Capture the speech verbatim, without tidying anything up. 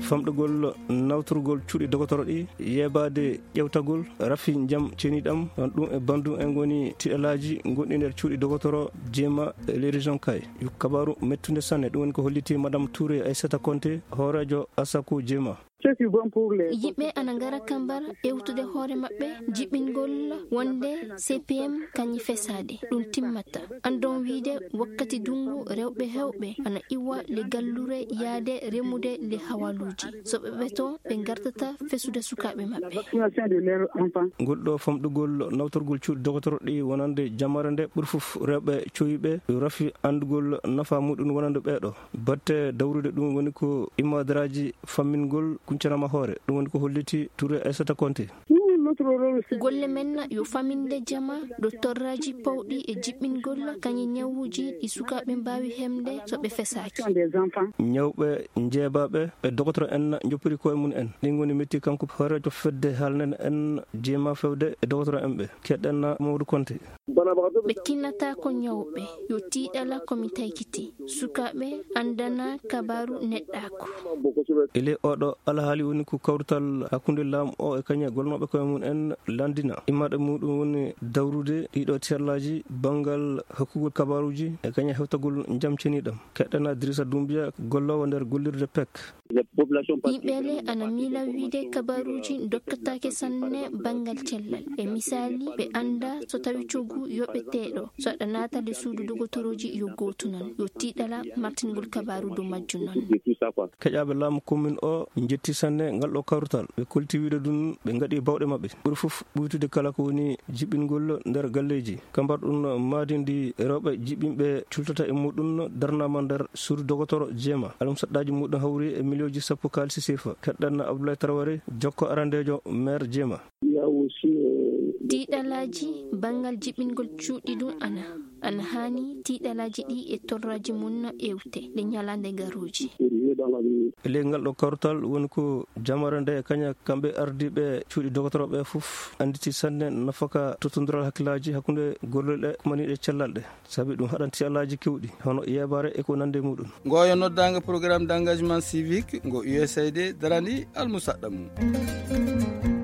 Famɗugol nawtorgol cuuɗi dogotoro ɗi, yeebaade ƴewtagol rafi njam ceniɗam, ɗum e banndum en ngoni tiɗalaaji gonɗi nder cuuɗi dogotoro jeema e les régions kay. Yo kabaaru mettunde sanne, ɗum woni ko holliti Madame Touré Aissata Konté, hooreejo Assaco jeema. Yimɓe ana ngara kambar ewtude hoore maɓɓe jiɓingol wonde C P M kañi fesaade. Ɗum timmata. Andon wiide wakkati dungu rewɓe hewɓe ana iwa le gallure yaade remude le hawaluuji. So ɓe ɓe to ɓe ngartata fesude sukaaɓe maɓɓe. Ngol ɗo famɗugol nawtorgol cuuɗi dogotoro ɗi wonande jamare nde ɓuri fof rewɓe cowiɓe rafi andugol nafa muɗum wonande ɓeeɗo. Batte dawrude ɗum woni ko immadaraaji fammingol kuncanama hoore. Ɗum woni ko holliti Touré Aissata Konté. Golle men yo faminde jama ɗo torraaji pawɗi e jiɓɓingol kañi ñawuuji ɗi sukaaɓe mbaawi hemde so ɓe fesaaki. Ñawɓe, njeebaaɓe e dogotoro en njoppiri koye mum en. Ɗin ngoni metti kanko hooreejo fedde haalnen en jeema fewde e dogotoro en ɓe. Keɗɗen Mamadou Konté. Ɓe kinnata ko ñawɓe, yo tiiɗala ko mi taykiti. Sukaaɓe andana kabaaru neɗɗaaku. Ele oɗo alhaali woni ko kawrital hakkunde laamu o e kañe golnooɓe koye mum en landina. Immaɗe muɗum woni dawrude ɗiɗo tellaaji banngal hokkugol kabaaruji e kañe hewtagol njam ceniɗam. Keɗɗana Dirisa Dumbiya, golloowo nder gollirde pek. Yimɓe le ana miila wiide kabaaruuji dokkataake sanne banngal cellal. E misaali, ɓe annda so tawi coggu yoɓeteeɗo, so aɗa naata le suudu dogotorooji yo gootu non. Yo tiiɗala martingol kabaaru dow majju non. Keƴaaɓe laamu commune o njetti sanne ngal ɗo kawrital. Ɓe kolti wiide ɗum ɓe ngaɗi bawɗe maɓɓe. Ɓuri fof ɓuytude kala ko woni jiɓɓingol nder galleeji. Kambar ɗum maadi ndi rewɓe jiɓɓinɓe cultata e muɗum darnama nder suudu dogotoro jeema. Almusaɗɗaaji muɗum hawri e miliyonji sappo kaalisi sefa. Keɗɗan Abdoulaye Traoré, jokko arandeejo maire jeema. Tiiɗalaaji banngal jiɓɓingol cuuɗi ɗum ana, ana haani tiiɗalaaji ɗi e torraaji mum ewte ɗe ñalaande garooji. E ley ngal ɗo kawrital woni ko jamare nde kaña kamɓe ardiiɓe cuuɗi dogotoroɓe fof annditi sanne nafaka tottondiral hakkillaaji hakkunde gollol ɗe kumaniiɗe cellal ɗe. Sabi ɗum haɗanti alaaji kewɗi, hono yeebaare e ko nande muɗum. Ngoyo noddaango programme d'engagement civique ngo U S A I D darani almusaɗɗa mum.